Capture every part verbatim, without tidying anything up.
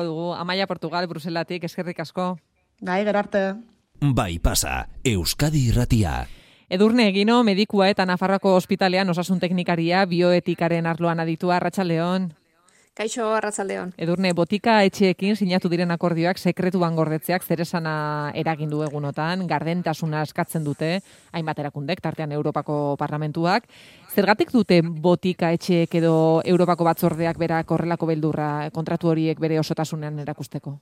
Dugu Amaia Portugal, Bruselatik, eskerrik asko. Gai, gerarte. Bai pasa, Euskadi Irratia. Edurne Egino, medikua eta Nafarroako ospitalean osasun teknikaria, bioetikaren arloan aditua, Arratsaldeon. Kaixo, Arratsaldeon. Edurne, botika etxeekin sinatu diren akordioak sekretuan gordetzeak zeresana eragin du egunotan, gardentasuna eskatzen dute, hainbat erakundek, tartean Europako Parlamentuak. Zergatik dute botika etxeek edo Europako batzordeak berak horrelako beldurra kontratu horiek bere osotasunean erakusteko?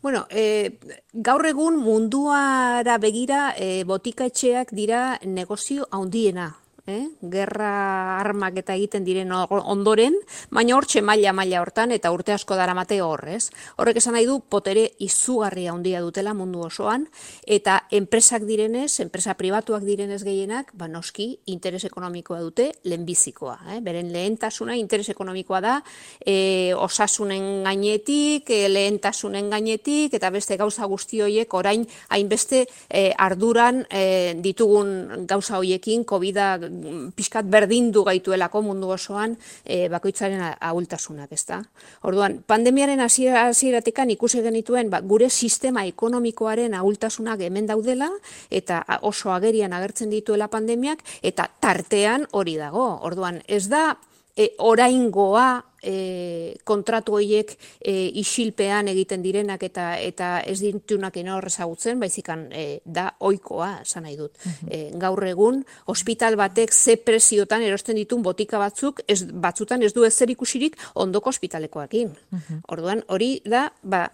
Bueno, e, gaur egun munduara begira e, botika etxeak dira negozio handiena. Eh? Gerra armak eta egiten diren ondoren, baina hortxe maila-maila hortan eta urte asko daramate hor, ez? Horrek esan nahi du potere izugarria handia dutela mundu osoan, eta enpresak direnez, enpresa pribatuak direnez gehienak, ba noski interes ekonomikoa dute lehenbizikoa. Eh? Beren lehentasuna interes ekonomikoa da, e, osasunen gainetik, e, lehentasunen gainetik, eta beste gauza guzti horiek orain hainbeste e, arduran e, ditugun gauza horiekin, COVID-a pixkat berdindu gaituelako mundu osoan e, bakoitzaren ahultasunak, ezta? Orduan, pandemiaren hasieratik ikusi genituen ba, gure sistema ekonomikoaren ahultasunak hemen daudela eta oso agerian agertzen dituela pandemiak eta tartean hori dago. Orduan, ez da e, oraingoa E, kontratu horiek e, isilpean egiten direnak eta eta ez ditunak inor ezagutzen, baizikan e, da ohikoa, esan nahi dut. E, gaur egun, ospital batek ze preziotan erosten ditun botika batzuk, ez, batzutan ez du ezer ikusirik ondoko ospitalekoekin. Orduan, hori da, ba,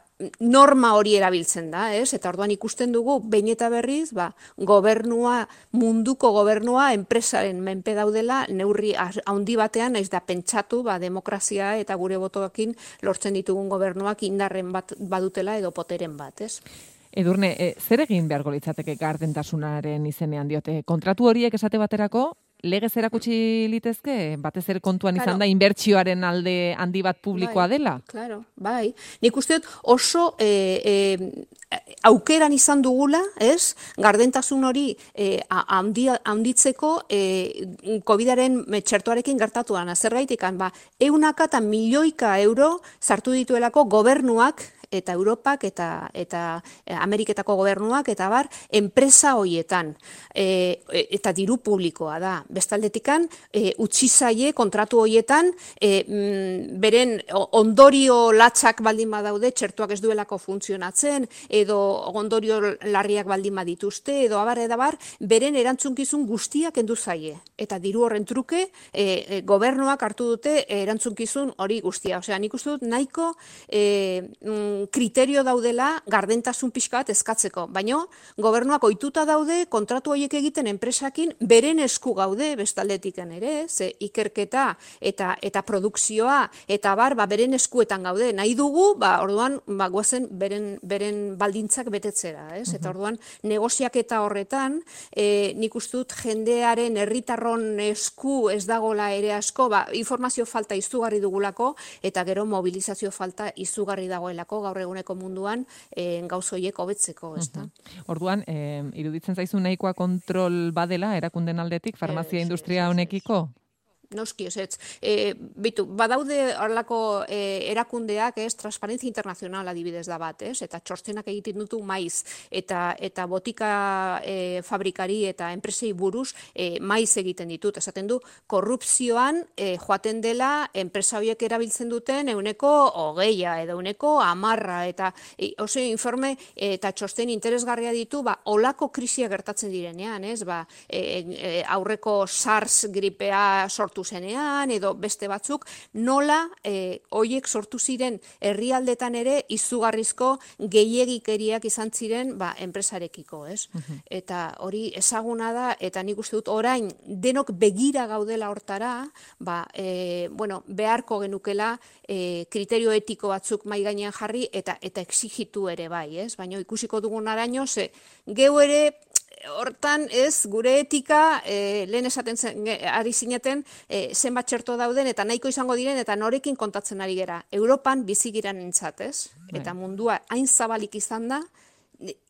norma hori erabiltzen da, ez? Eta orduan ikusten dugu, behin eta berriz, ba, gobernua, munduko gobernua, enpresaren menpe daudela, neurri handi batean, naiz da pentsatu, ba, demokrazia eta gure botoekin lortzen ditugun gobernuak indarren bat badutela edo poteren bat, ez? Edurne, e, zer egin beharko litzateke gardentasunaren izenean diote? Kontratu horiek esate baterako, legez erakutsi litezke, batez ere kontuan izan Claro. da inbertsioaren alde handi bat publikoa Bai, dela? Claro, bai. Nik uste dut oso e, e, aukeran izan dugula, ez? Gardentasun hori e, handi, handitzeko e, COVIDaren txertoarekin gertatuan. Zergaitik, ba, eunaka eta milioika euro sartu dituelako gobernuak eta Europak eta eta Ameriketako gobernuak eta bar enpresa hoietan e, eta diru publikoa da. Bestaldetikan e, utzi zaie kontratu hoietan e, mm, beren ondorio latzak baldin badaude, txertuak ez duelako funtzionatzen edo ondorio larriak baldin badituzte edo abar eta bar beren erantzunkizun guztiak kendu zaie eta diru horren truke e, e, gobernuak hartu dute erantzunkizun hori guztia. Osea, nik uste dut nahiko e, mm, kriterio daudela gardentasun pixka bat eskatzeko, baina gobernuak ohituta daude kontratu horiek egiten enpresakin beren esku gaude bestaldetiken ere, ze ikerketa eta eta produkzioa eta bar ba, beren eskuetan gaude. Nahi dugu, ba, orduan ba, guazen beren, beren baldintzak betetzera, ez? Eta orduan negoziaketa horretan, e, nik uste dut jendearen herritarron esku ez dagola ere asko, ba, informazio falta izugarri dugulako eta gero mobilizazio falta izugarri dagoelako gaur eguneko munduan e, gauz horiek hobetzeko, ezta? Orduan, e, iruditzen zaizu nahikoa kontrol badela erakunden aldetik farmazia industria honekiko? Noski, ez, e, bitu, badaude horlako e, erakundeak, ez, Transparencia Internacional adibidez da bat, ez, eta txostenak egiten dutu maiz, eta eta botika e, fabrikari eta enpresei buruz e, maiz egiten ditut, esaten du, korrupzioan e, joaten dela enpresa horiek erabiltzen duten euneko hogeia, edo euneko amarra, eta e, oso informe e, eta txosten interesgarria ditu, ba, olako krisia gertatzen direnean, ez, ba, e, e, aurreko SARS gripea sortu zenean, edo beste batzuk, nola e, hoiek sortu ziren herrialdetan ere izugarrizko gehiegikeriak izan ziren ba, enpresarekiko, ez? Uh-huh. Eta hori ezaguna da, eta nik uste dut orain denok begira gaudela hortara, ba, e, bueno, beharko genukela e, kriterio etiko batzuk mai gainean jarri eta eta exigitu ere bai, ez? Baina ikusiko dugun araño, ze geu ere hortan ez, gure etika, e, lehen esaten zen, ari zineten, e, zenbat txerto dauden, eta nahiko izango diren, eta norekin kontatzen ari gera. Europan bizigiran entzat, ez? Eta mundua hain zabalik izan da,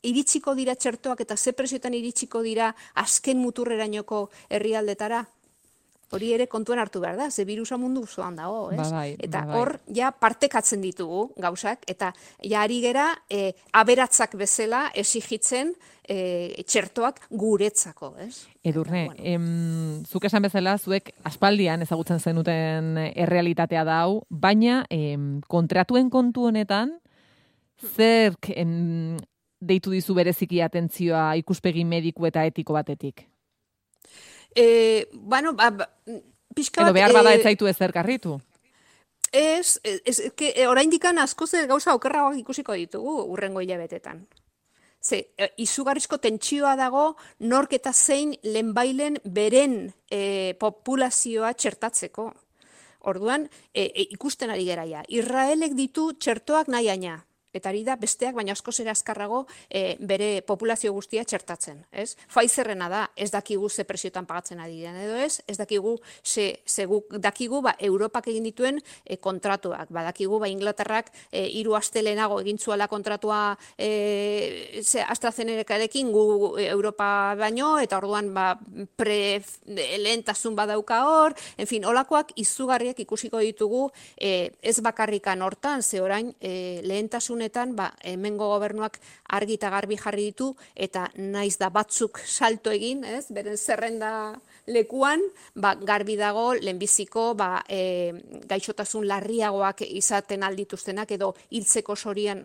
iritsiko dira txertoak, eta ze prezioetan iritsiko dira azken muturrerainoko herrialdetara? Hori ere kontuan hartu behar da, ze birusa mundu osoan dago, ez? Ba bai, eta ba bai. hor, ja, partekatzen ditugu gauzak, eta ja ari gera, e, aberatzak bezala esigitzen e, txertoak guretzako, ez? Edurne, Eta, bueno. em, zuk esan bezala, zuek aspaldian ezagutzen zenuten errealitatea da hau, baina em, kontratuen kontu honetan, zerk em, deitu dizu bereziki atentzioa ikuspegi mediku eta etiko batetik? E, bueno, ba, ba, pixka bat... Edo behar bada e, ez zaitu ezer karritu? Ez, ez, ez que, e, oraindikan askoz gauza okerragoak ikusiko ditugu urrengo hilabetetan. Ze, e, izugarrizko tentsioa dago nork eta zein lehenbailen beren e, populazioa txertatzeko. Orduan, e, e, ikusten ari geraia. Israelek ditu txertoak nahi aina. Eta ari da besteak, baina askoz ere azkarrago e, bere populazio guztia txertatzen. Ez? Pfizerrena da, ez dakigu ze presiotan pagatzen ari den edo ez, ez dakigu ze, ze guk dakigu ba, Europak egin dituen e, kontratuak. Ba, dakigu ba, Inglaterrak e, hiru aste lehenago egin zuela kontratua e, ze AstraZenecarekin gu Europa baino, eta orduan ba, pre lehentasun badauka hor, en fin, olakoak izugarriak ikusiko ditugu e, ez bakarrikan hortan, ze orain e, lehentasun ba, hemengo gobernuak argi eta garbi jarri ditu, eta naiz da batzuk salto egin, ez, beren zerrenda lekuan, ba, garbi dago lehenbiziko ba, e, gaixotasun larriagoak izaten aldituztenak, edo hiltzeko sorian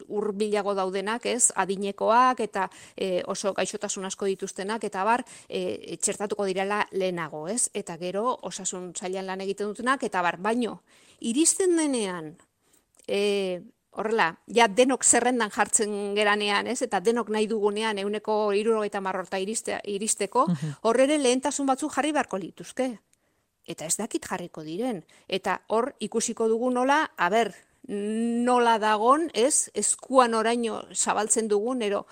hurbilago daudenak, ez, adinekoak, eta e, oso gaixotasun asko dituztenak, eta bar, e, txertatuko direla lehenago, ez, eta gero osasun sailan lan egiten dutenak, eta bar, baino, iristen denean, e, horrela, ja denok zerrendan jartzen geranean, ez? Eta denok nahi dugunean ehuneko hirurogeita hamar horta iriste, iristeko, hor ere lehentasun batzuk jarri beharko lituzke. Eta ez dakit jarriko diren. Eta hor ikusiko dugu nola, a ber, nola dagon, ez, eskuan oraino zabaltzen dugun, ero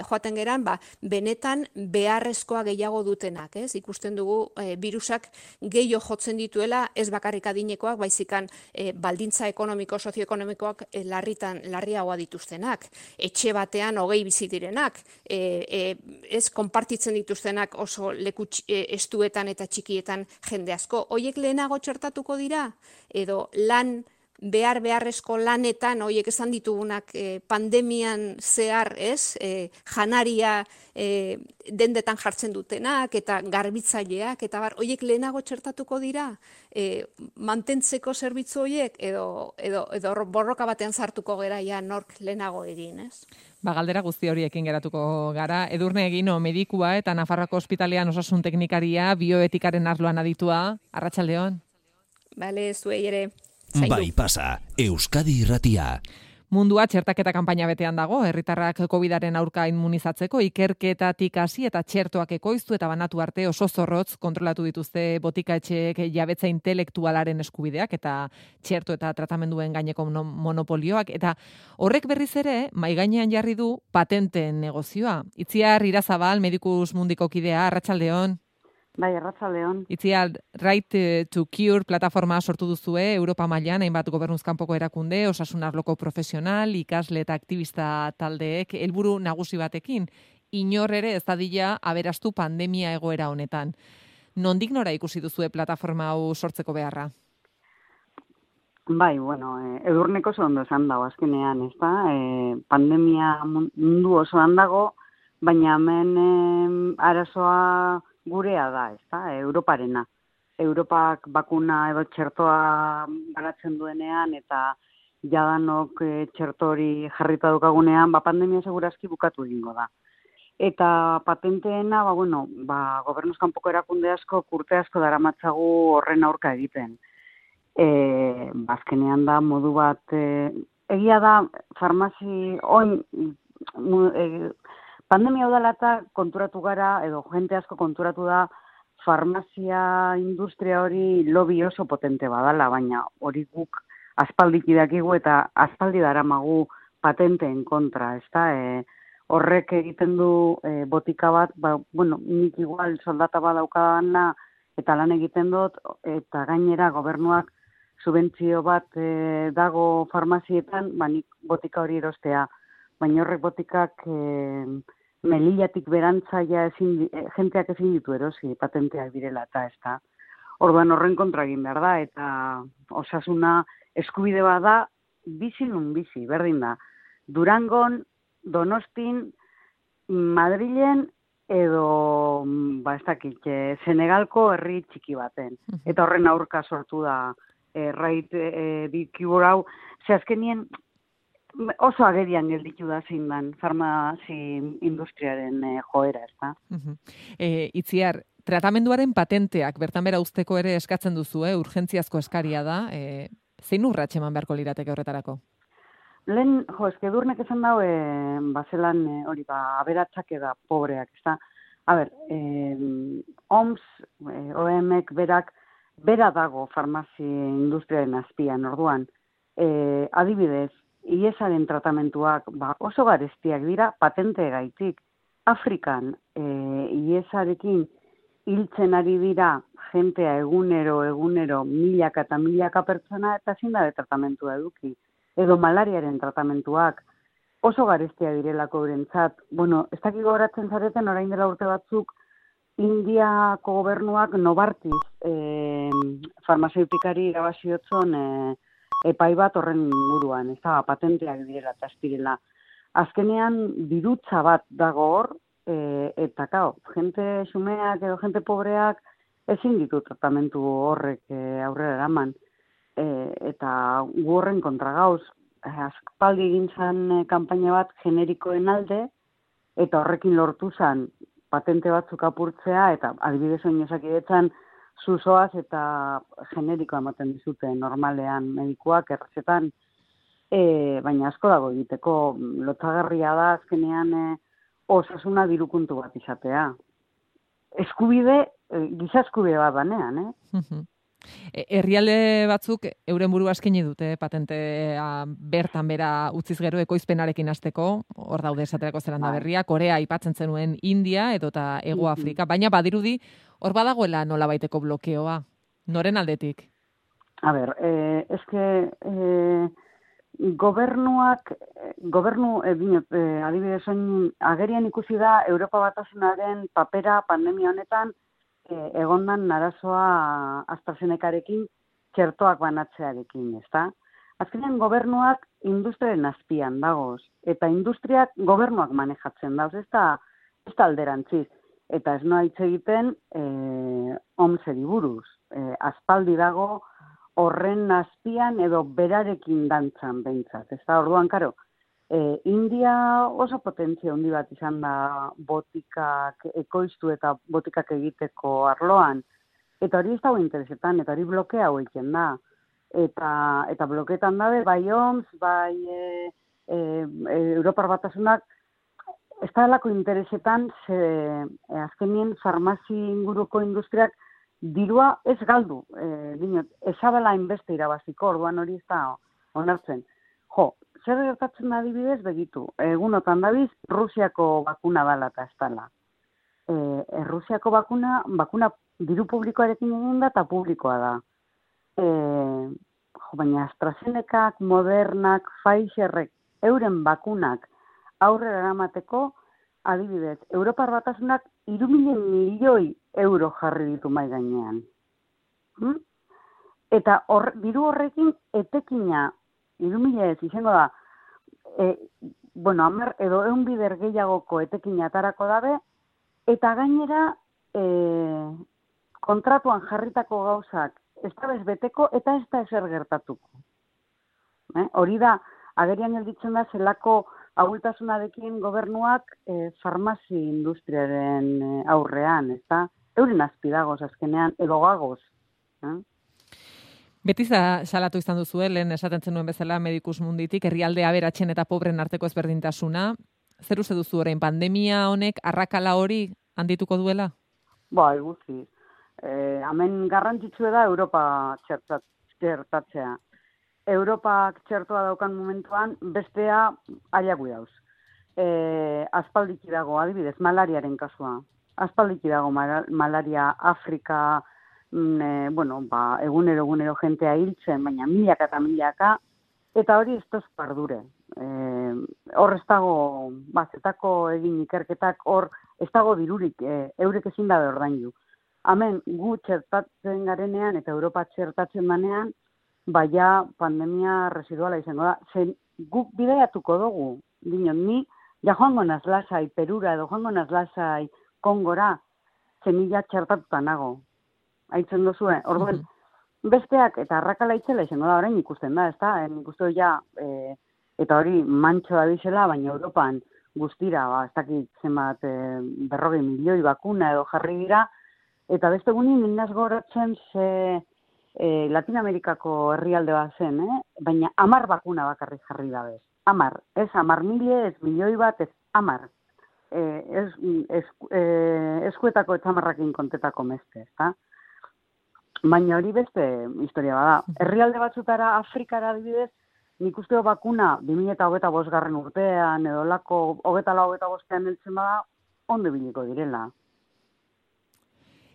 joaten geran, ba, benetan beharrezkoa gehiago dutenak, ez? Ikusten dugu e, virusak gehiago jotzen dituela, ez bakarrik adinekoak, baizikan e, baldintza ekonomiko, sozioekonomikoak e, larritan, larriagoa dituztenak, etxe batean hogei bizi direnak, e, e, ez konpartitzen dituztenak oso leku e, estuetan eta txikietan jende asko. Hoiek lehenago txertatuko dira, edo lan behar beharrezko lanetan, horiek esan ditugunak e, pandemian zehar, ez, e, janaria e, dendetan jartzen dutenak, eta garbitzaileak, eta bar, horiek lehenago txertatuko dira, e, mantentzeko zerbitzu horiek, edo, edo, edo borroka batean sartuko gera ja nork lehenago egin, ez? Ba, galdera guzti horiekin geratuko gara. Edurne Egino, medikua eta Nafarroako ospitalean osasun teknikaria, bioetikaren arloan aditua. Arratsaldeon. Bale, zuei ere. Bai pasa, Euskadi Irratia. Mundua txertaketa kanpaina betean dago, herritarrak covidaren aurka immunizatzeko ikerketatik hasi eta txertoak ekoiztu eta banatu arte oso zorrotz kontrolatu dituzte botika-etxeek jabetza intelektualaren eskubideak eta txerto eta tratamenduen gaineko monopolioak, eta horrek berriz ere mai gainean jarri du patenteen negozioa. Itziar Irazabal, Medicus Mundiko kidea, arratsaldeon. Bai, arratsaldeon. Itziar, Right to Cure plataforma sortu duzue Europa mailan, hainbat gobernuzkanpoko erakunde, osasun arloko profesional, ikasle eta aktivista taldeek helburu nagusi batekin, inor ere ez dadila aberastu pandemia egoera honetan. Nondik nora ikusi duzue plataforma hau sortzeko beharra? Bai, bueno, eh, edurneko oso ondo esan dago azkenean, ezta? Eh, pandemia mundu osoan dago, baina hemen eh, arazoa gurea da, ezta? Europarena. Europak bakuna edo txertoa banatzen duenean eta jadanok e, txertori jarrita daukagunean, ba pandemia segurazki bukatu egingo da. Eta patenteena, ba bueno, ba gobernuz kanpoko erakunde asko, urte asko daramatzagu horren aurka egiten. Eh, bazkenean da modu bat e, egia da farmazi oin e, pandemia udala eta konturatu gara, edo jente asko konturatu da, farmazia industria hori lobby oso potente badala, baina hori guk aspaldik idakigu eta aspaldi daramagu patenteen kontra, ezta? E, horrek egiten du e, botika bat, ba, bueno, nik igual soldata badaukadana eta lan egiten dut, eta gainera gobernuak subentzio bat e, dago farmazietan, ba, nik botika hori erostea, baina horrek botikak e, melillatik berantzaia ezin, jenteak ezin ditu erosi patenteak direla eta ez da. Orduan horren kontra egin behar da, eta osasuna eskubide bat da, bizi nun bizi, berdin da. Durangon, Donostin, Madrilen, edo, ba, ez dakit, Senegalko herri txiki baten. Eta horren aurka sortu da, e, rait e, bikibor hau, ze azkenien oso agerian gelditu da zein dan farmazi industriaren e, joera, ez da? Uh-huh. E, Itziar, tratamenduaren patenteak bertan bera uzteko ere eskatzen duzu, eh? Urgentziazko eskaria da, e, zein urrats eman beharko lirateke horretarako? Lehen, jo, eskedurnek esan dau, e, bazelan e, hori, ba, aberatsak eda pobreak, ez da? A ber, e, O M S, e, O M ek berak, bera dago farmazi industriaren azpian, orduan, e, adibidez, iesaren tratamentuak ba, oso garestiak dira patente gaitik. Afrikan e, iesarekin hiltzen ari dira jentea egunero, egunero, milaka eta milaka pertsona eta ezin da tratamentua eduki. Edo malariaren tratamentuak oso garestia direlako eurentzat. Bueno, ez dakik gogoratzen zareten orain dela urte batzuk Indiako gobernuak Novartis e, farmazeutikari irabaziotzon e, epai bat horren inguruan, ez da, patenteak direla eta azpirela. Azkenean dirutza bat dago hor, e, eta kao, jente xumeak edo jente pobreak ezin ditu tratamentu horrek e, aurrera eraman. E, eta gu horren kontra gauz, e, aspaldi egin zen e, kanpaina bat generikoen alde, eta horrekin lortu zen patente batzuk apurtzea, eta adibidez oin osakidetzan zuzoaz eta generikoa ematen dizute normalean medikuak errezetan, e, baina asko dago egiteko lotsagarria da azkenean e, osasuna dirukuntu bat izatea. Eskubide, e, giza eskubide bat banean, eh? Herrialde batzuk euren burua eskaini dute patentea bertan bera utziz gero ekoizpenarekin hasteko, hor daude esaterako Zelanda Berria, Korea aipatzen zenuen India edota Hego Afrika, baina badirudi hor badagoela nolabaiteko blokeoa, noren aldetik? A ber, eh, eske eh, gobernuak, gobernu, eh, binot, eh, adibidez oin, agerian ikusi da Europa Batasunaren papera pandemia honetan egondan narazoa AstraZenecarekin txertoak banatzearekin, ezta? Azkenean gobernuak industriaren azpian dagoz, eta industriak gobernuak manejatzen dauz, ez da, ez da alderantziz. Eta ez noa hitz egiten e, O M S-eri buruz. E, aspaldi dago horren azpian edo berarekin dantzan behintzat, ez da? Orduan, karo, E, India oso potentzia handi bat izan da botikak ekoiztu eta botikak egiteko arloan. Eta hori ez dago interesetan, eta hori blokea hau egiten da. Eta, eta blokeetan dabe, bai O M S, bai e, e, Europar Batasunak, ez da delako interesetan, ze, e, azkenien farmazi inguruko industriak dirua ez galdu. E, dinot, ezabela inbeste irabaziko, orduan hori ez da onartzen. Jo, zer gertatzen da adibidez, begitu, egunotan dabiz, Rusiako bakuna dala eta ez dala. E, e, Rusiako bakuna, bakuna diru publikoarekin egin da eta publikoa da. E, jo, baina AstraZenecak, Modernak, Pfizerrek, euren bakunak aurrera eramateko, adibidez, Europar Batasunak hiru mila milioi euro jarri ditu mai gainean. Hm? Eta hor, diru horrekin etekina hiru mila ez izango da, e, bueno, hamar edo ehun bider gehiagoko etekin atarako dabe, eta gainera e, kontratuan jarritako gauzak ez da bez beteko eta ez da ezer gertatuko. Eh? Hori da, agerian gelditzen da zelako ahultasunarekin gobernuak e, farmazi industriaren e, aurrean, ez da? Euren azpidagoz azkenean, edo gagoz. Eh? Beti salatu izan duzu, lehen esaten zenuen bezala Medikus Munditik, herrialde aberatsen eta pobren arteko ezberdintasuna. Zer uste duzu orain, pandemia honek arrakala hori handituko duela? Ba, guzti. Eh, hemen garrantzitsua da Europa txertat, txertatzea. Europak txertoa daukan momentuan, bestea ailagu dauz. Eh, aspaldiki dago, adibidez, malariaren kasua. Aspaldiki dago malaria Afrika, E, bueno, ba, egunero, egunero jentea hiltzen, baina milaka eta milaka, eta hori ez toz pardure. E, hor ez dago, ba, zetako egin ikerketak, hor ez dago dirurik, e, eurek ezin dabe ordaindu. Hemen gu txertatzen garenean eta Europa txertatzen danean, baina pandemia residuala izango da. Zen guk bidaiatuko dugu, dinon, ni ja joango naz lasai Perura edo joango naz lasai Kongora, zenila txertatuta nago. Aitzen duzue, orduan, besteak eta arrakala itzela izango da, orain ikusten da, ezta? En ikusten ja, e, eta hori mantxo da bizela, baina Europan guztira, ba, ez dakit zenbat e, berrogei milioi bakuna edo jarri dira, eta beste gunin indaz goratzen ze e, Latinamerikako herrialde bat zen, eh? Baina amar bakuna bakarrik jarri da bez. Amar, ez amar mile, ez milioi bat, ez amar. E, ez, ez, e, eskuetako etxamarrakin kontetako meste, ezta? Baina hori beste historia bada. Herrialde batzutara, Afrikara adibidez, nik usteo bakuna bi mila hogeita bosgarren urtean, edo lako hogeita lau hogeita bostean heltzen bada, ondo biliko direla.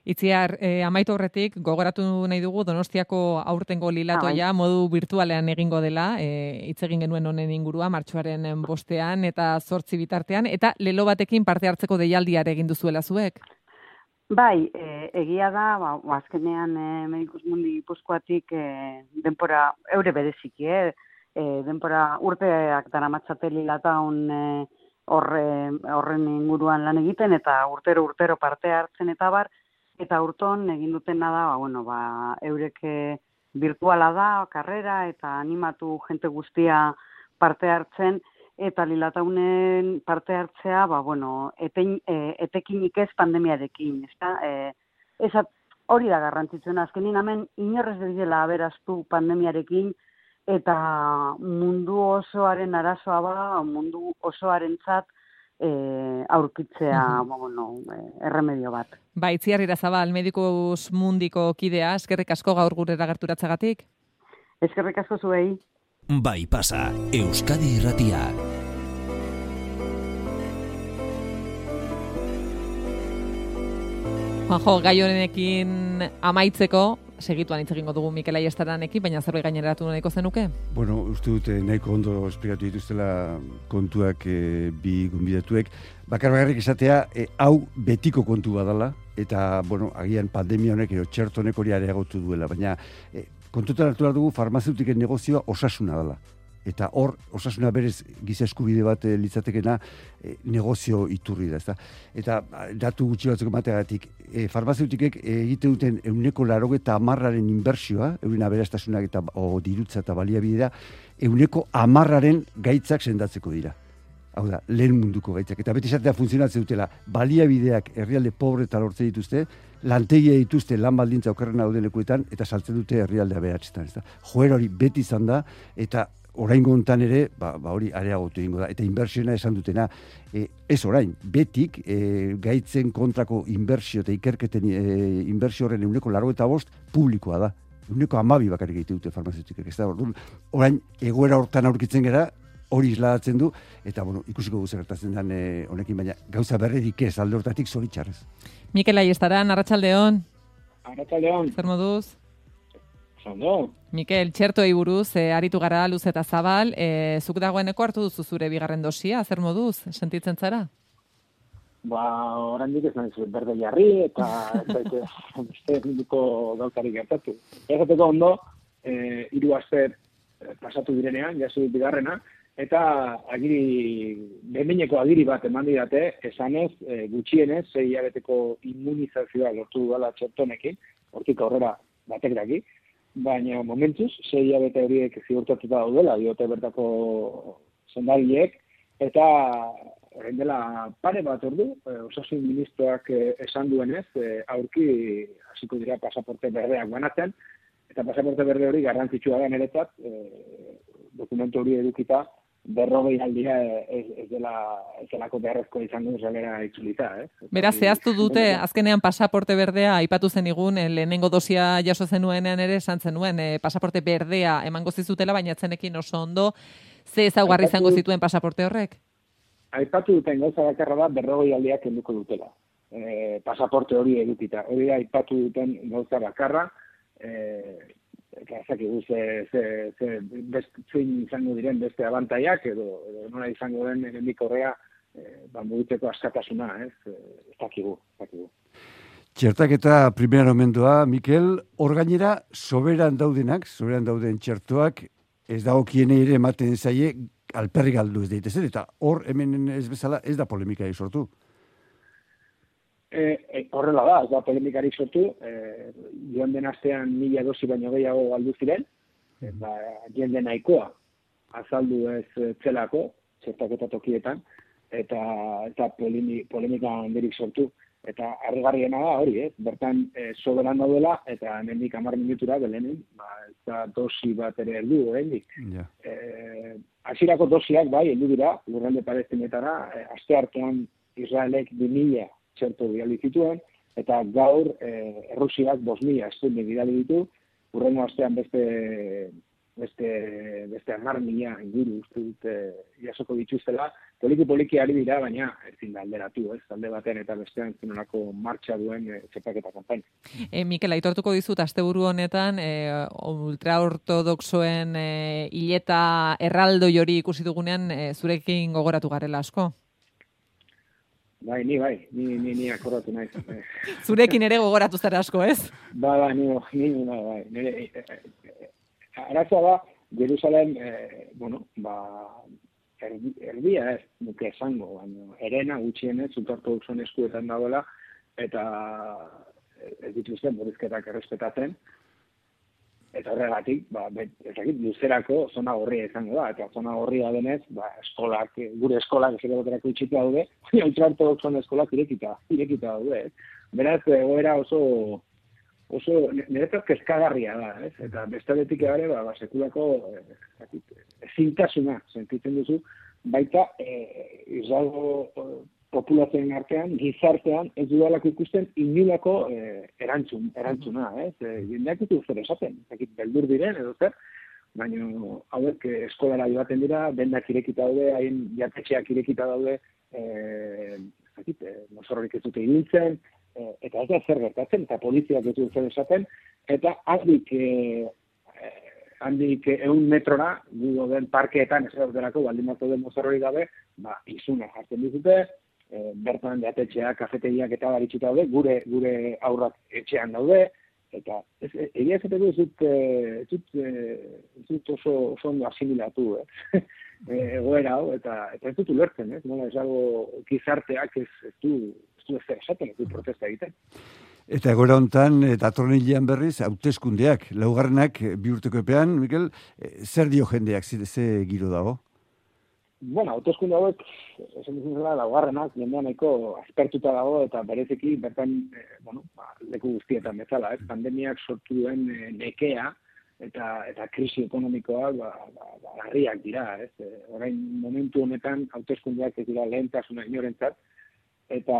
Itziar, eh, amaitu horretik, gogoratu nahi dugu Donostiako aurtengo lilatoia ah, modu virtualean egingo dela, eh, hitz egin genuen honen ingurua, martxoaren bostean eta zortzi bitartean, eta lelo batekin parte hartzeko deialdiare egin duzuela zuek? Bai, e, egia da, ba, azkenean e, Medikus Mundi Gipuzkoatik e, denpora, eure bereziki, eh? e, denpora urteak daramatzate lilataun e, horre, horren inguruan lan egiten, eta urtero-urtero parte hartzen eta bar, eta urton egin dutena da, ba, bueno, ba, eurek virtuala da, karrera, eta animatu jente guztia parte hartzen, eta lilataunen parte hartzea, ba, bueno, etein, e, etekinik ez pandemiarekin, ezta? E, ezat, hori da garrantzitsuena, azkenin hemen inorrez dela aberaztu pandemiarekin, eta mundu osoaren arazoa ba, mundu osoarentzat e, aurkitzea, mm-hmm. ba, bueno, e, erremedio bat. Ba, Itziar Irazabal, Medikus Mundiko kidea, eskerrik asko gaur gurera gerturatzagatik? Eskerrik asko zuei. Bai pasa, Euskadi Irratia. Juanjo, gai honekin amaitzeko, segituan hitz egingo dugu Mikel Aiestaranekin, baina zerbait gaineratu nahiko zenuke? Bueno, uste dute nahiko ondo esplikatu dituztela kontuak e, bi gonbidatuek. Bakar bakarrik esatea, e, hau betiko kontu badala, eta, bueno, agian pandemia honek, edo txerto honek hori areagotu duela, baina e, kontutan hartu behar dugu farmazeutiken negozioa osasuna dela. Eta hor, osasuna berez giza eskubide bat e, litzatekena e, negozio iturri da, ezta? Eta datu gutxi batzuk emateagatik, e, farmazeutikek egite duten euneko larogeta hamarraren inbertsioa, euren aberastasunak eta o, dirutza eta baliabidea, euneko hamarraren gaitzak sendatzeko dira. Hau da, lehen munduko gaitzak. Eta beti esatea funtzionatzen dutela, baliabideak herrialde pobre eta lortzen dituzte, lantegia dituzte lan baldintza okerren dauden lekuetan, eta saltzen dute herrialde aberatzetan. Joera hori beti izan da, eta oraingo hontan ere, ba, ba hori areagotu egingo da. Eta inbertsiona esan dutena, e, ez orain, betik e, gaitzen kontrako inbertsio eta ikerketen e, inbertsio horren euneko larogeta bost publikoa da. Euneko hamabi bakarrik egite dute farmazeutikek. Ez da, orain, egoera hortan aurkitzen gera, hori isladatzen du, eta bueno, ikusiko guzer gertatzen den e, honekin, baina gauza berrerik ez, alde hortatik zoritxarrez. Mikel Aiestaran, arratsaldeon. Arratsaldeon. Zer moduz? Zondo. Mikel, txertoei buruz, e, aritu gara luz eta zabal, e, zuk dagoeneko hartu duzu zure bigarren dosia, zer moduz, sentitzen zara? Ba, oraindik ez naiz berde jarri, eta ez minuko gauzarik gertatu. Egateko ondo, e, hiru aste pasatu direnean, jaso bigarrena, eta agiri, behineko agiri bat eman didate, esanez, e, gutxienez, sei hilabeteko immunizazioa lortu dudala txertonekin, hortik aurrera batek daki, baina momentuz, sei hilabete horiek ziurtatuta daudela, diote bertako zendariek, eta orain dela pare bat ordu, e, osasun ministroak e, esan duenez, e, aurki hasiko dira pasaporte berdeak banatzen, eta pasaporte berde hori garrantzitsua da niretzat, e, dokumentu hori edukita, berrogei aldia ez, ez dela ez delako beharrezko izango zelera itzulita, eh? Beraz, zehaztu dute, azkenean pasaporte berdea aipatu zenigun, lehenengo dosia jaso zenuenean ere esan zenuen, eh, pasaporte berdea emango zizutela, baina atzenekin oso ondo, ze ezaugarri izango zituen pasaporte horrek? Aipatu duten gauza bakarra da berrogei aldiak kenduko dutela. E, pasaporte hori edukita. Hori da aipatu duten gauza bakarra, eh, eta ezakigu ze, ze, ze zein izango diren beste abantaiak, edo, edo nola izango den hemendik horrea, e, ba, mugitzeko askatasuna, ez? Ez dakigu, ez dakigu. Txertaketa primera omendoa, Mikel, hor gainera, soberan daudenak, soberan dauden txertoak, ez dagokienei ere ematen zaie, alperri galdu ez daitezen, eta hor hemen ez bezala ez da polemika sortu. E, e, horrela da, ez da polemikarik sortu, e, joan den astean mila dosi baino gehiago galdu ziren, eta jende nahikoa azaldu ez zelako, txertaketa tokietan, eta, eta polemi, polemika handirik sortu. Eta harrigarriena da hori, eh? Bertan e, soberan daudela, eta hemendik hamar minutura belenen, ba, eta dosi bat ere heldu, oraindik. Ja. Eh, hasierako dosiak bai heldu dira, lurralde palestinetara, e, aste artean Israelek bi mila txerto bidali zituen, eta gaur e, Errusiak bost mila Sputnik bidali ditu, hurrengo astean beste beste beste hamar mila inguru uste dut e, jasoko dituztela, poliki poliki ari dira, baina ezin da alderatu, ez, alde batean eta bestean zenolako martxa duen e, txertaketa kanpaina. E, Mikel, aitortuko dizut, asteburu honetan, e, ultraortodoxoen e, hileta erraldoi hori ikusi dugunean, e, zurekin gogoratu garela asko? Bai, ni bai, ni, ni, ni akordatu naiz. Zurekin ere gogoratu zara asko, ez? Ba, ba, ni, ni, ni bai, bai. Nire, e, e, e, arazoa da, Jerusalem, e, bueno, ba, erdi, erdia ez, nuke esango, baina erena gutxienez, ultraortodoxoen eskuetan dagoela, eta ez dituzten murrizketak errespetatzen, eta horregatik, ba, ezakit, luzerako zona gorria izango da, eta zona gorria denez, ba, eskolak, gure eskolak ez ere baterako itxita daude, baina ultraortodoxoen eskolak irekita, irekita daude, ez? Beraz, egoera oso, oso, niretzat kezkagarria da, ez? Eta bestetik ere, ba, ba, sekulako ezintasuna sentitzen duzu, baita e, Israelgo populazioen artean, gizartean, ez dudalako ikusten inulako e, erantzun, erantzuna, ez? E, jendeak ditu zer esaten, ezakit beldur diren edo zer, baina hauek eskolara joaten dira, dendak irekita daude, haien jatetxeak irekita daude, e, ezakit, e, mozorrorik ez dute ibiltzen, e, eta ez da zer gertatzen, eta poliziak ez dut zer esaten, eta handik e, handik eun metrora, gu den parkeetan ez daudelako, baldin bat den mozorrorik gabe, ba, izuna jartzen dizute, e, bertan jatetxeak, kafetegiak eta baritxita daude, gure gure aurrak etxean daude, eta ez, egia esateko ez dut, ez dut, ez dut oso, oso ondo asimilatu, eh? egoera hau, eta, eta ez dut ulertzen, ez? Nola ez dago gizarteak ez, ez du, ez du ez esaten, ez du protesta egiten. Eta egoera hontan, datorren hilean berriz, hauteskundeak, laugarrenak bi urteko epean, Mikel, zer dio jendeak, ze giro dago? Bueno, hauteskunde hauek, esan duzun zela, laugarrenak, jendean nahiko aspertuta dago, eta bereziki bertan, eh, bueno, ba, leku guztietan bezala, ez? Pandemiak sortu duen eh, nekea, eta eta krisi ekonomikoak ba, ba, ba, larriak dira, ez? E, orain momentu honetan hauteskundeak ez dira lehentasuna inorentzat, eta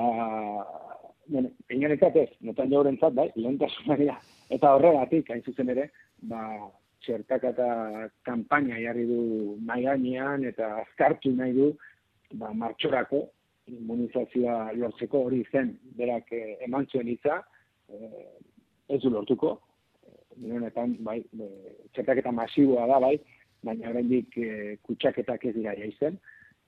bueno, inorentzat ez, notan jaurentzat, bai, lehentasuna dira. Eta horregatik, hain zuzen ere, ba, txertaketa kanpaina jarri du mahai gainean eta azkartu nahi du ba, martxorako immunizazioa lortzeko hori zen, berak eh, eman zuen hitza, eh, ez du lortuko, honetan, bai, e, txertaketa masiboa da, bai, baina oraindik e, kutsaketak ez dira jaizen,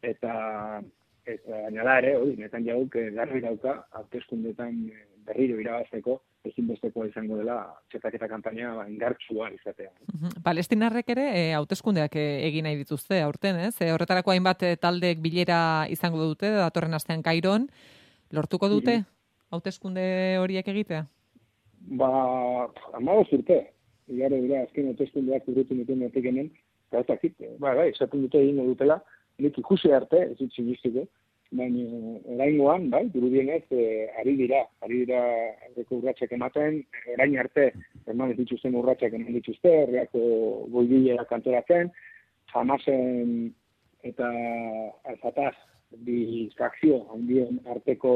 eta eta gainera ere, hori, netan jauk garbi dauka, hauteskundeetan berriro irabazteko, ezinbestekoa izango dela txertaketa kanpaina ba, indartsua izatea. Uh-huh. Palestinarrek ere e, hauteskundeak e, egin nahi dituzte aurten, ez? E, horretarako hainbat e, taldek bilera izango dute, datorren astean Kairon, lortuko dute hauteskunde horiek egitea? Ba, amagoz urte, igaro dira, azken hauteskundeak urrutu nituen batek hemen, eta ez dakit, ba, bai, esaten dute egingo dutela, nik ikusi arte, ez dut sinistiko, baina oraingoan, bai, dirudienez, e, ari dira, ari dira aurreko urratsak ematen, orain arte, eman ez dituzten urratsak eman dituzte, herriako goibilera kantoratzen, Hamasen eta Al-Fatah bi fakzio handien arteko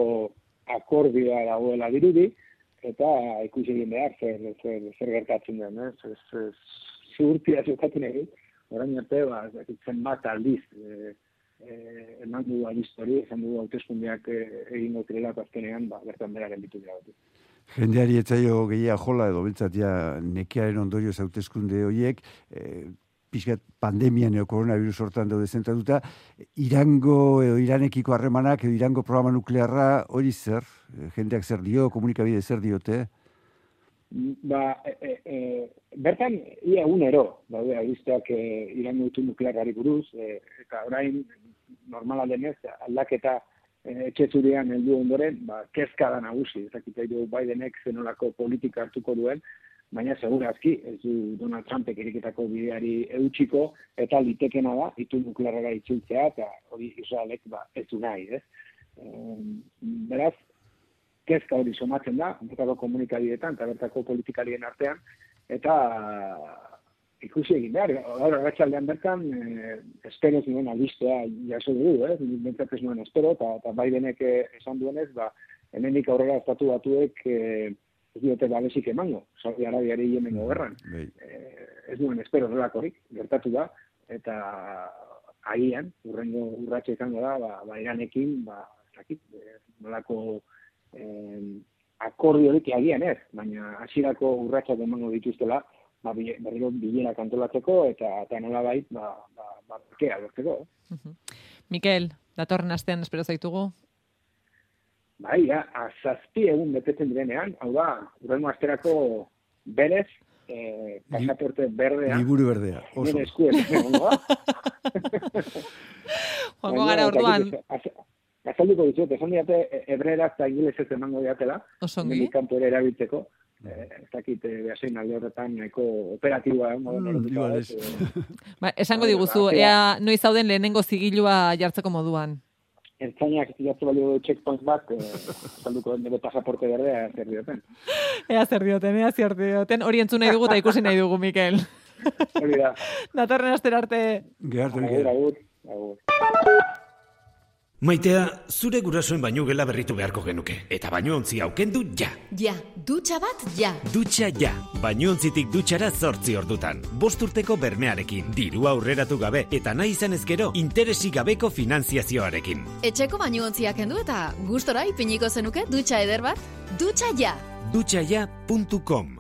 akordioa dagoela dirudi, eta ikusi egin behar zer, zer, zer gertatzen den, ez? Ez, ez, ziurtia zukatzen egin, orain arte, ba, zenbat aldiz, e, e, eman du alistori, esan du hauteskundeak e, egingo zirelako azkenean, ba, bertan bera gelditu dira bat. Jendeari etzaio gehia jola edo bentsat ja nekearen ondorioz hauteskunde horiek, e, pixkat pandemian edo koronavirus hortan daude zentratuta, Irango edo Iranekiko harremanak edo Irango programa nuklearra hori zer? Jendeak zer dio, komunikabide zer diote? Ba, e, e, bertan, ia egunero, daude, albisteak e, Irango gutu nuklearrari buruz, e, eta orain, normala denez, aldaketa e, etxezurian heldu ondoren, ba, kezka da nagusi, ezakita du Bidenek zenolako politika hartuko duen, baina segurazki, ez du Donald Trumpek eriketako bideari eutxiko, eta litekena da, itu nuklearra itzultzea, eta hori Israelek ba, ez du nahi, ez? E, beraz, kezka hori somatzen da, bertako komunikabideetan, eta bertako politikarien artean, eta ikusi egin behar. Gaur arratsaldean bertan, eh, espero zuen albistea jaso dugu, eh? Bentzat ez nuen espero, eta, eta Bidenek esan duenez, ba, hemendik aurrera estatu batuek eh, ez diote babesik emango, Saudi Arabiari Yemengo gerran. Eh, ez nuen espero horrelakorik, gertatu da, eta agian, urrengo urratxe izango da, ba, ba Iranekin, ba, ez dakit, eh, nolako eh, akordiorik agian ez, baina hasierako urratsak emango dituztela, ba, berriro bilera kantolatzeko, eta, eta nola bait, ba, ba, ba, bakea lortzeko. Uh-huh. Mikel, datorren astean espero zaitugu? Bai, ja, azazpi egun betetzen direnean, hau da, urrengo asterako berez, eh, pasaporte berdea. Liburu berdea, oso. Nire eskuet, egongo da. Joango gara orduan. Azalduko dizuet, esan diate, hebreeraz eta ingelesez emango diatela, Osongi. kanpo ere erabiltzeko. Eh, ez dakit, behasein alde horretan nahiko operatiboa. Mm, ba, esango diguzu, ea noiz zauden lehenengo zigilua jartzeko moduan. Ertzainak jartze balio checkpoint bat, salduko nire pasaporte berdea zer dioten. Ea zer dioten, ea zer dioten. Hori entzun nahi dugu eta ikusi nahi dugu, Mikel. Hori da. Datorren astera arte. Gertu, agur, agur. Maitea, zure gurasoen bainu gela berritu beharko genuke. Eta bainontzia aukendu ja. Ja, dutxa bat ja. Dutxa ja. Bainontzitik dutxara zortzi ordutan. Bost urteko bermearekin, diru aurreratu gabe, eta nahi izan ezkero, interesik gabeko finanziazioarekin. Etxeko bainuontziak kendu eta gustora ipiniko zenuke dutxa eder bat? Dutxa ja. dutxa ja puntu com.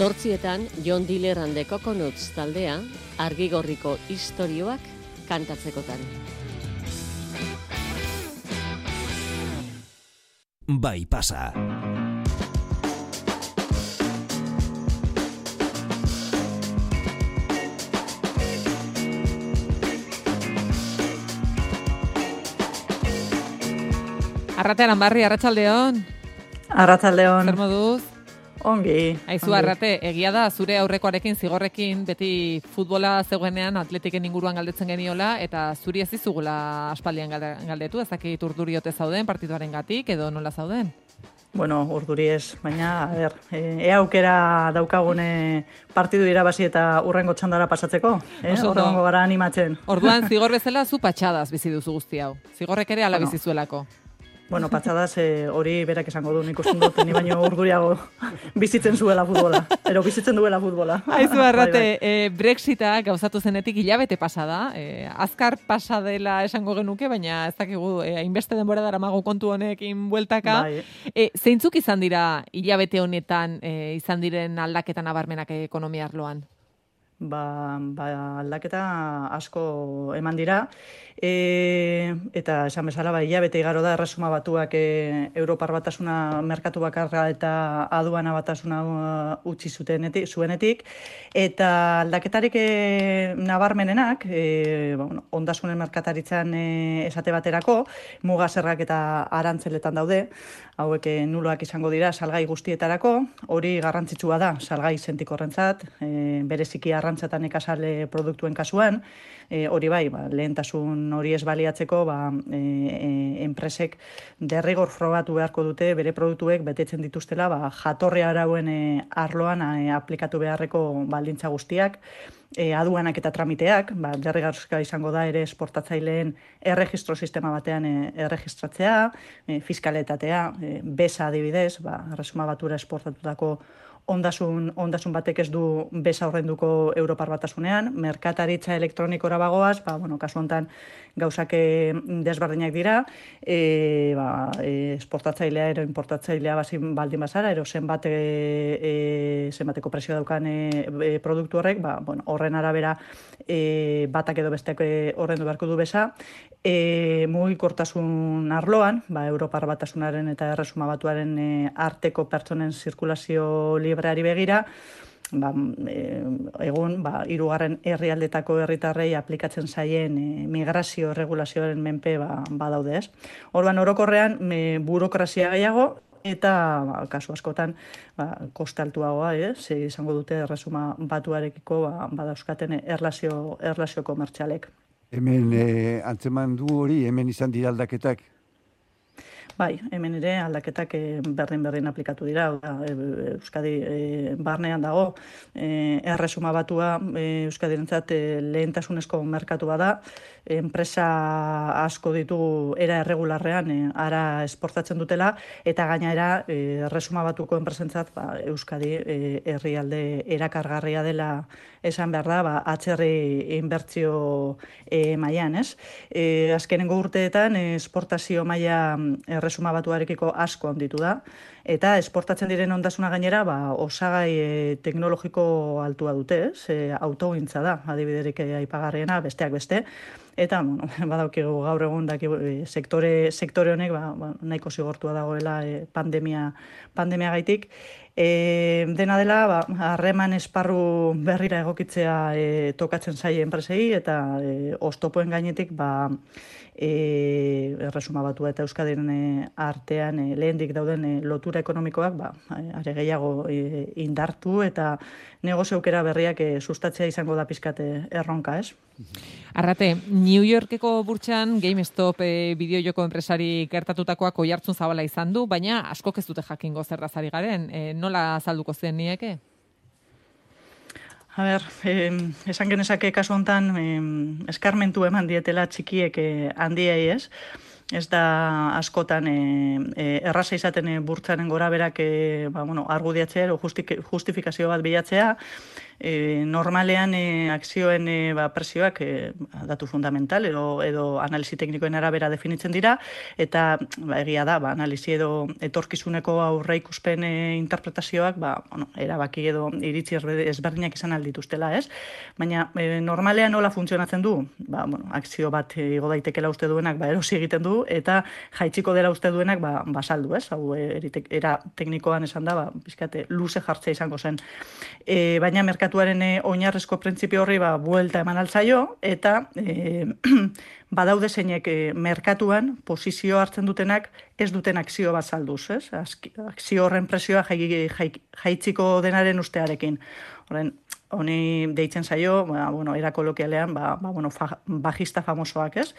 Zortzietan, John Diller and the Coconuts taldea, argigorriko istorioak kantatzekotan. Bai pasa. Arratean barri, arratsaldeon. Arratsaldeon. Zer moduz? Ongi. Aizu, Arrate, egia da, zure aurrekoarekin, zigorrekin, beti futbola zegoenean atletiken inguruan galdetzen geniola, eta zuri ez dizugula aspaldian galdetu, ez dakit urduriote zauden, partituaren gatik, edo nola zauden? Bueno, urduri ez, baina, a ber, ea aukera daukagune partidu irabazi eta urrengo txandara pasatzeko, eh? Horrengo gara animatzen. Orduan, zigor bezala, zu patxadaz bizi duzu guzti hau. Zigorrek ere ala bueno. bizi zuelako. Bueno, patxadaz eh, hori berak esango du, nik usten dut, ni baino urduriago bizitzen zuela futbola, ero bizitzen duela futbola. Aizu, Arrate, bai, bai. E, Brexita gauzatu zenetik hilabete pasada, e, azkar pasadela esango genuke, baina ez dakigu, e, hainbeste denbora daramago kontu honekin bueltaka. Bai. E, zeintzuk izan dira hilabete honetan e, izan diren aldaketan nabarmenak ekonomia arloan? Ba, ba, aldaketa asko eman dira, e, eta esan bezala, ba, hilabete igaro da, erresuma batuak e, Europar batasuna merkatu bakarra eta aduana batasuna uh, utzi zutenetik, zuenetik, eta aldaketarik e, nabarmenenak, e, ba, bueno, ondasunen merkataritzan e, esate baterako, mugazerrak eta arantzeletan daude, hauek e, nuloak izango dira salgai guztietarako, hori garrantzitsua da, salgai sentikorrentzat, e, bereziki arrantzatan ekasale produktuen kasuan, e, hori bai, ba, lehentasun hori ez baliatzeko, ba, e, e, enpresek derrigor frogatu beharko dute, bere produktuek betetzen dituztela, ba, jatorri arauen e, arloan e, aplikatu beharreko baldintza guztiak, e, aduanak eta tramiteak, ba, derrigorrezkoa izango da ere esportatzaileen erregistro sistema batean e, erregistratzea, e, fiskaletatea, e, besa adibidez, ba, erresuma batura esportatutako ondasun, ondasun batek ez du besa horrenduko Europar batasunean, merkataritza elektronikora bagoaz, ba, bueno, kasu honetan gauzak desberdinak dira, e, ba, e, esportatzailea ero importatzailea bazin baldin bazara, ero zenbat, e, e, zenbateko presio daukan e, produktu horrek, ba, bueno, horren arabera e, batak edo besteak horrendu beharko du beza, e, mugikortasun arloan, ba, Europar Batasunaren eta Erresuma Batuaren e, arteko pertsonen zirkulazio libreari begira, ba, e, egun ba, hirugarren herrialdetako herritarrei aplikatzen zaien e, migrazio erregulazioaren menpe ba, badaude ez. Orduan orokorrean me, burokrazia gehiago eta ba, kasu askotan ba, koste altuagoa, eh? Ze izango dute Erresuma Batuarekiko ba, badauzkaten erlazio, erlazio komertzialek. Hemen eh, antzeman du hori, hemen izan dira aldaketak? Bai, hemen ere aldaketak berdin-berdin aplikatu dira. Euskadi e, barnean dago, e, Erresuma Batua e, Euskadirentzat e, lehentasunezko merkatu bada, enpresa asko ditu era erregularrean e, ara esportatzen dutela, eta gainera e, Erresuma Batuko enpresentzat ba, Euskadi e, herrialde erakargarria dela esan behar da, ba, atzerri inbertzio e, mailan, ez? E, azkenengo urteetan esportazio maila Erresuma Batuarekiko asko handitu da, eta esportatzen diren ondasuna gainera ba, osagai e, teknologiko altua dute, ez? E, autogintza da, adibiderik aipagarriena, besteak beste, eta bueno, badaukigu gaur egun daki, e, sektore, sektore honek ba, ba, nahiko zigortua dagoela e, pandemia, pandemia gaitik. E, dena dela, ba, harreman esparru berrira egokitzea e, tokatzen zaie enpresei, eta e, oztopoen gainetik ba, e, Erresuma Batua eta Euskadiren e, artean e, lehendik dauden e, lotura ekonomikoak ba, are gehiago e, indartu eta negozio aukera berriak e, sustatzea izango da pizkate erronka, ez? Arrate, New Yorkeko burtsan GameStop e, bideojoko enpresari gertatutakoak oihartzun zabala izan du, baina askok ez dute jakingo zertaz ari garen. E, nola azalduko zen nieke? A ber, eh, esan genezake kasu hontan eh, eskarmentu eman dietela txikiek eh, handiei, ez? Ez da askotan e, e, erraza izaten e, burtsaren gora berak e, ba, bueno, argudiatzea edo justik, justifikazio bat bilatzea. E, normalean e, akzioen e, ba, presioak e, datu fundamental edo, edo analisi teknikoen arabera definitzen dira, eta ba, egia da, ba, analisi edo etorkizuneko aurre ikuspen e, interpretazioak ba, bueno, erabaki edo iritzi ezberdinak izan aldituztela, ez? Baina e, normalean nola funtzionatzen du? Ba, bueno, akzio bat e, igo daitekela uste duenak ba, erosi egiten du, eta jaitziko dela uste duenak ba, basaldu, ez? Hau eritek, era teknikoan esan da, ba, bizkate, luze jartzea izango zen. E, baina merkatuaren e, oinarrezko printzipio horri ba, buelta eman altzaio, eta e, badaude zeinek e, merkatuan posizio hartzen dutenak ez duten akzio bat salduz, ez? Akzio horren presioa jai, jai, jaitziko denaren ustearekin. Horren, honi deitzen zaio, ba, bueno, era kolokialean, ba, ba, bueno, fa, bajista famosoak, ez?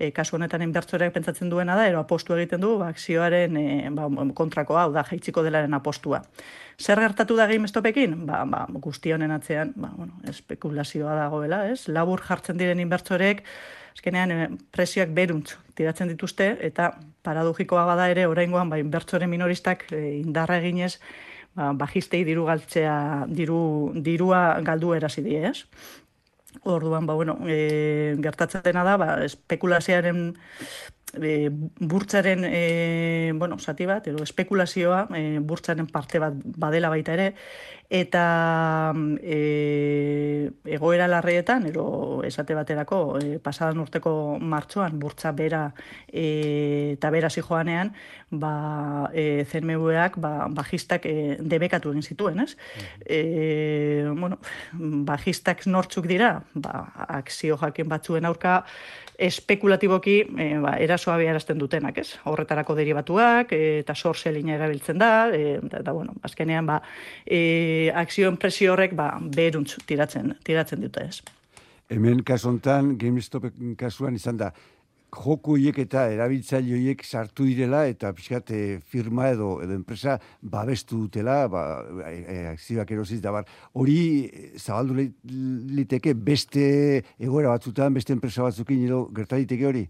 E, kasu honetan inbertsoreak pentsatzen duena da, ero apostu egiten du, ba, akzioaren e, ba, kontrakoa, hau da, jaitziko delaren apostua. Zer gertatu da GameStopekin? Ba, ba, guzti honen atzean, ba, bueno, espekulazioa dagoela, ez? Labur jartzen diren inbertsoreek, azkenean e, presioak beruntz tiratzen dituzte, eta paradogikoa bada ere, oraingoan, ba, inbertsore minoristak e, indarra eginez, ba, bajistei diru galtzea, diru, dirua galdu erasi die, ez? Orduan, ba, bueno, e, gertatzen dena da, ba, espekulazioaren e, burtsaren e, bueno, zati bat, edo espekulazioa e, burtsaren parte bat badela baita ere, eta e, egoera larrietan, edo esate baterako, e, pasadan urteko martxoan, burtsa bera e, eta bera zijoanean, ba, e, C M V-ak ba, bajistak e, debekatu egin zituen, ez? E, bueno, bajistak nortzuk dira, ba, akzio jakin batzuen aurka, espekulatiboki e, ba, erasoa abiarazten dutenak, ez? Horretarako derivatuak, e, eta sorselina erabiltzen da, e, eta, eta bueno, azkenean, ba, e, akzioen presio horrek, ba, beruntz tiratzen, tiratzen dute, ez? Hemen kasu hontan, GameStop kasuan izan da, joku horiek eta erabiltzaile horiek sartu direla eta pixkat e, firma edo edo enpresa babestu dutela, ba, e, e, akzioak erosiz da bar. Hori zabaldu liteke beste egoera batzutan, beste enpresa batzukin edo gerta liteke hori?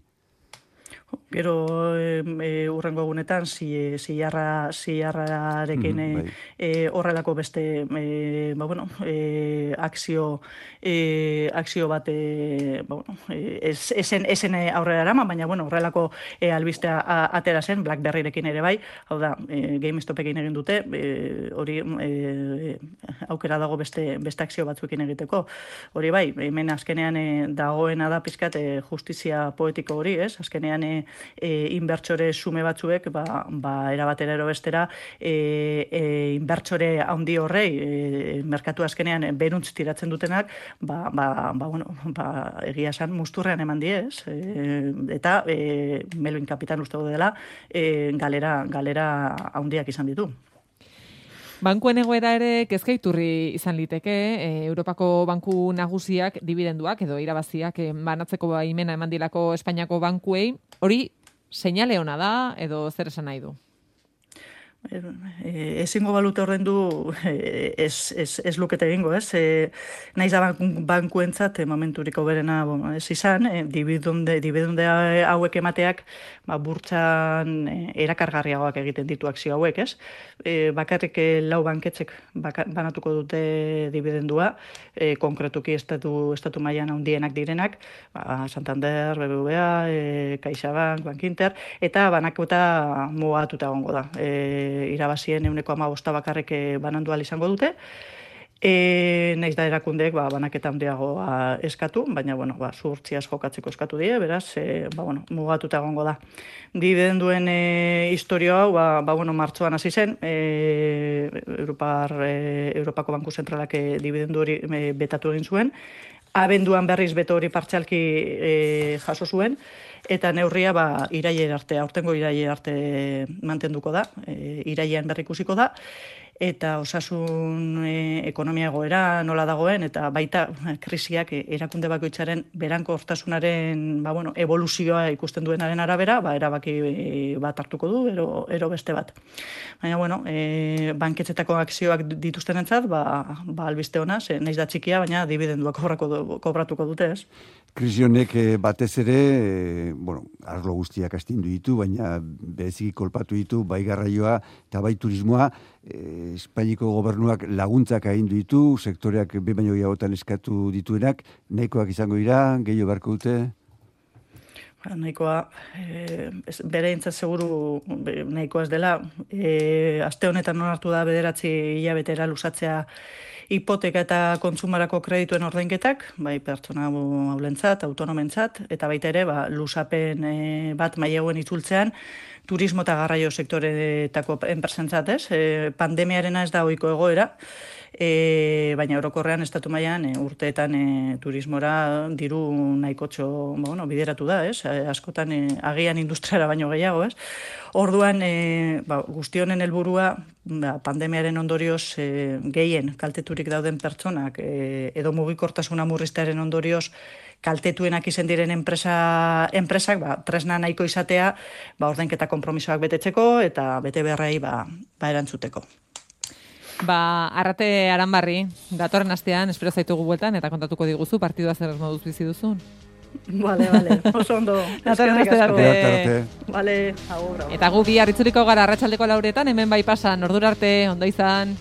Gero e, e, urrengo egunetan zi, ziarra, ziarrarekin mm, bai. e, horrelako beste e, ba, bueno, e, akzio, e, akzio bat e, ba, bueno, e, ez, esen, esen aurrera erama, baina bueno, horrelako e, albistea a, atera zen, BlackBerryrekin ere bai, hau da, e, GameStopekin egin dute, e, hori e, aukera dago beste, beste akzio batzuekin egiteko. Hori bai, hemen azkenean e, dagoena da pizkat e, justizia poetiko hori, ez? Azkenean e, E, inbertsore sume batzuek ba, ba erabatera ero bestera e, e, inbertsore handi horrei e, merkatu azkenean beruntz tiratzen dutenak ba, ba, ba, bueno, ba, egia esan musturrean eman diez e, eta e, Melvin Kapitan uste dela e, galera, galera handiak izan ditu. Bankuen egoera ere kezkaiturri izan liteke, e, Europako banku nagusiak dibidenduak edo irabaziak e, banatzeko baimena eman dilako Espainiako bankuei, hori seinale ona da edo zer esan nahi du? E, ezingo balute horren du e, ez, ez, ez lukete egingo, ez? E, naiz da bankuentzat e, momenturiko berena bon, ez izan, e, dibidunde, dibidunde hauek emateak ba, burtsan e, erakargarriagoak egiten ditu akzio hauek, ez? E, bakarrik e, lau banketzek baka, banatuko dute dibidendua, e, konkretuki estatu, estatu mailan handienak direnak, ba, Santander, B B V A, e, CaixaBank, Bankinter, eta banakota mugatuta egongo da. E, irabazien euneko hamabosta bakarrek banandu ahal izango dute. E, naiz da erakundeek ba, banaketa handiagoa eskatu, baina bueno, ba, zuhurtziaz jokatzeko eskatu die, beraz, e, ba, bueno, mugatuta egongo da. Dibidenduen e, historio hau, ba, ba, bueno, martxoan hasi zen, e, Europar, e, Europako Banku Zentralak e, dibidendu hori e, betatu egin zuen, abenduan berriz beto hori partzialki e, jaso zuen, eta neurria ba, irailera arte, aurtengo irailera arte mantenduko da, e, irailean berrikusiko da, eta osasun e, ekonomia egoera nola dagoen, eta baita krisiak e, erakunde bakoitzaren beranko hortasunaren ba, bueno, evoluzioa ikusten duenaren arabera, ba, erabaki e, bat hartuko du, ero, ero beste bat. Baina, bueno, e, banketzetako akzioak dituztenentzat, ba, ba albiste ona, ze naiz da txikia, baina dibidenduak kobratuko dute, ez? Krisi honek batez ere, e, bueno, arlo guztiak astindu ditu, baina bereziki kolpatu ditu, bai garraioa eta bai turismoa, e, Espainiko gobernuak laguntzak agindu ditu, sektoreak be baino gehiagotan eskatu dituenak, nahikoak izango dira, gehiago beharko dute? Ba, nahikoa, e, bere intzat seguru nahikoa ez dela, e, aste honetan onartu da bederatzi hilabetera luzatzea hipoteka eta kontsumarako kredituen ordainketak, bai pertsona haulentzat, autonomentzat, eta baita ere, ba, luzapen e, bat maileguen itzultzean, turismo eta garraio sektoreetako enpresentzat, ez? E, pandemiarena ez da ohiko egoera, e, baina orokorrean estatu mailan e, urteetan e, turismora diru nahikotxo bueno, bideratu da, ez? E, askotan e, agian industriara baino gehiago, ez? Orduan, e, ba, guztionen helburua ba, pandemiaren ondorioz e, gehien kalteturik dauden pertsonak e, edo mugikortasuna murriztearen ondorioz kaltetuenak izen diren enpresa, enpresak ba, tresna nahiko izatea ba, ordainketa konpromisoak betetzeko eta bete beharrei ba, ba erantzuteko. Ba, Arrate Aranbarri, datorren astean, espero zaitugu bueltan, eta kontatuko diguzu, partidua zer moduz bizi duzun. Vale, vale, oso ondo. Datorren aste arte. Vale, agur, agur. Eta gu bi harritzuriko gara arratsaldeko lauretan, hemen bai pasan, ordura arte, ondo izan.